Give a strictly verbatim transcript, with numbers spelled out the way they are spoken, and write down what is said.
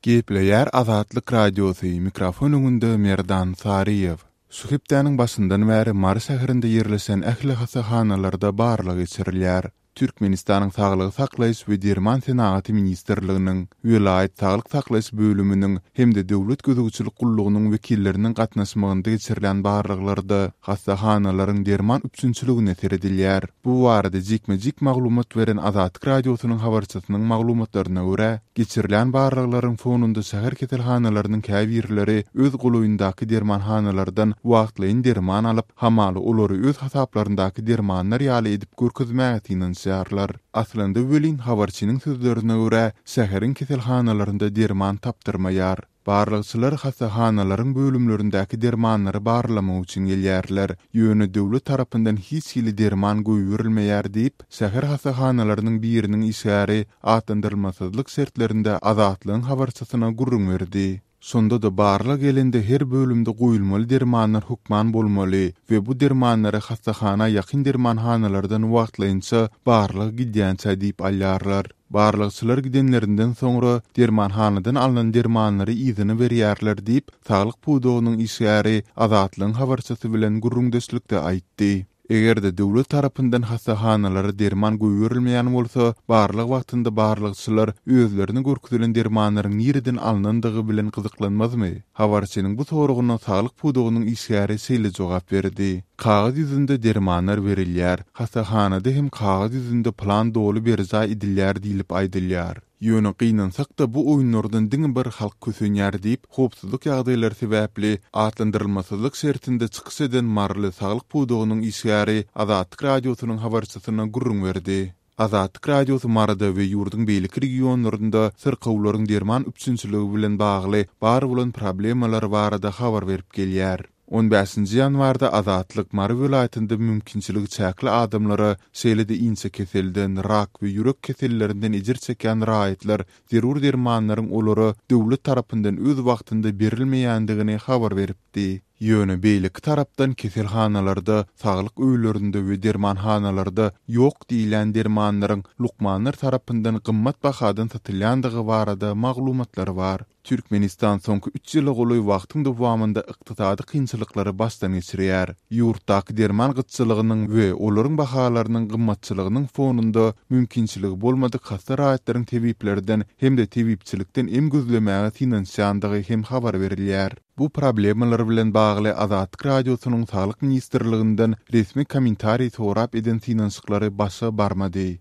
Gepleýär Azatlyk Radiosy, mikrofon öňünde Merdan Saryýew. Şu hepdäniň başyndan bäri Mary şäherinde ýerleşen ähli hassahanalarda barlag geçirilýär. Türkmenistanyň Saglygy saklaýyş we derman senagaty ministrliginiň, welaýat saglyk saklaýyş bölüminiň hem-de döwlet gözegçilik gullugynyň wekilleriniň gatnaşmagynda geçirilen barlaglarda hassahanalaryň derman üpjünçiligine seredilýär. Bu barada jikme-jik maglumat beren Azatlyk Radiosynyň habarçysynyň maglumatlaryna görä, geçirilen barlaglaryň fonunda şäher keselhanalarynyň käbirleri öz golaýyndaky dermanhanalardan wagtlaýyn derman alyp, hamala olary öz hasaplaryndaky dermanlar ýaly edip görkezmäge synanyşýarlar. Aslynda welin habarçynyň sözlerine görä, şäheriň keselhanalarynda derman tapdyrmaýar. Barlagçylar hassahanalaryň bölümlerindäki dermanlary barlamak üçin gelýärler. Ýöne döwlet tarapyndan hiç hili derman goýberilmeýär diýip, şäher hassahanalarynyň biriniň işgäri atlandyrylmasyzlyk şertlerinde Azatlygyň habarçysyna gürrüň berdi. Şonda-da barlag gelende her bölümde goýulmaly dermanlar hökman bolmaly we bu dermanlary hassahana ýakyn dermanhanalardan wagtlaýynça barlag gidýänçä diýip alýarlar. Barlagçylar gidenlerinden soňra dermanhanadan alnan dermanlary yzyna berýärler diýip, saglyk pudagynyň işgäri Azatlygyň habarçysy bilen gürrüňdeşlikde aýtdy. Eger-de döwlet tarapyndan hassahanalara derman goýberilmeýän bolsa, barlag wagtynda barlagçylar özlerine görkezilen dermanlaryň nireden alnandygy bilen gyzyklanmazmy? Habarçynyň bu soragyna saglyk pudagynyň işgäri şeýle jogap berdi. Kagyz ýüzünde dermanlar berilýär. Hassahanada hem kagyz ýüzünde plan doly berjaý edilýär diýlip aýdylýar. Ýöne gynansak-da bu oýunlardan diňe bir halk kösenýär diýip, howpsuzlyk ýagdaýlary sebäpli atlandyrylmasyzlyk şertinde çykyş eden Maryly saglyk pudagynyň işgäri Azatlyk Radiosynyň habarçysyna gürrüň berdi. Azatlyk Radiosy Maryda we ýurduň beýleki regionlarynda syrkawlaryň derman üpjünçiligi bilen bagly bar bolan problemalar barada habar berip gelýär. On bäşinji ýanwarda Azatlyk Mary welaýatynda mümkinçiligi çäkli adamlara, şeýle-de inçe keselden, rak we ýürek kesellerinden ejir çekýän raýatlar zerur dermanlaryň olara döwlet tarapyndan öz wagtynda berilmeýändigini habar beripdi. Ýöne beýleki tarapdan keselhanalarda, saglyk öýlerinde we dermanhanalarda ýok diýilýän dermanlaryň lukmanlar tarapyndan gymmat bahadan satylýandygy barada maglumatlar bar. Türkmenistan soňky üç ýyla golaý wagtyň dowamynda ykdysady kynçylyklary başdan geçirýär. Ýurtdaky derman gytçylygynyň we olaryň bahalarynyň gymmatçylygynyň fonunda mümkinçiligi bolmadyk hassa raýatlaryň tebiplerden hem-de tebipçilikden em gözlemäge synanyşýandygy hem habar berilýär. Bu problemalar bilen bagly Azatlyk Radiosynyň Saglyk ministrliginden resmi kommentariý sorap eden synanyşyklary başa barmady.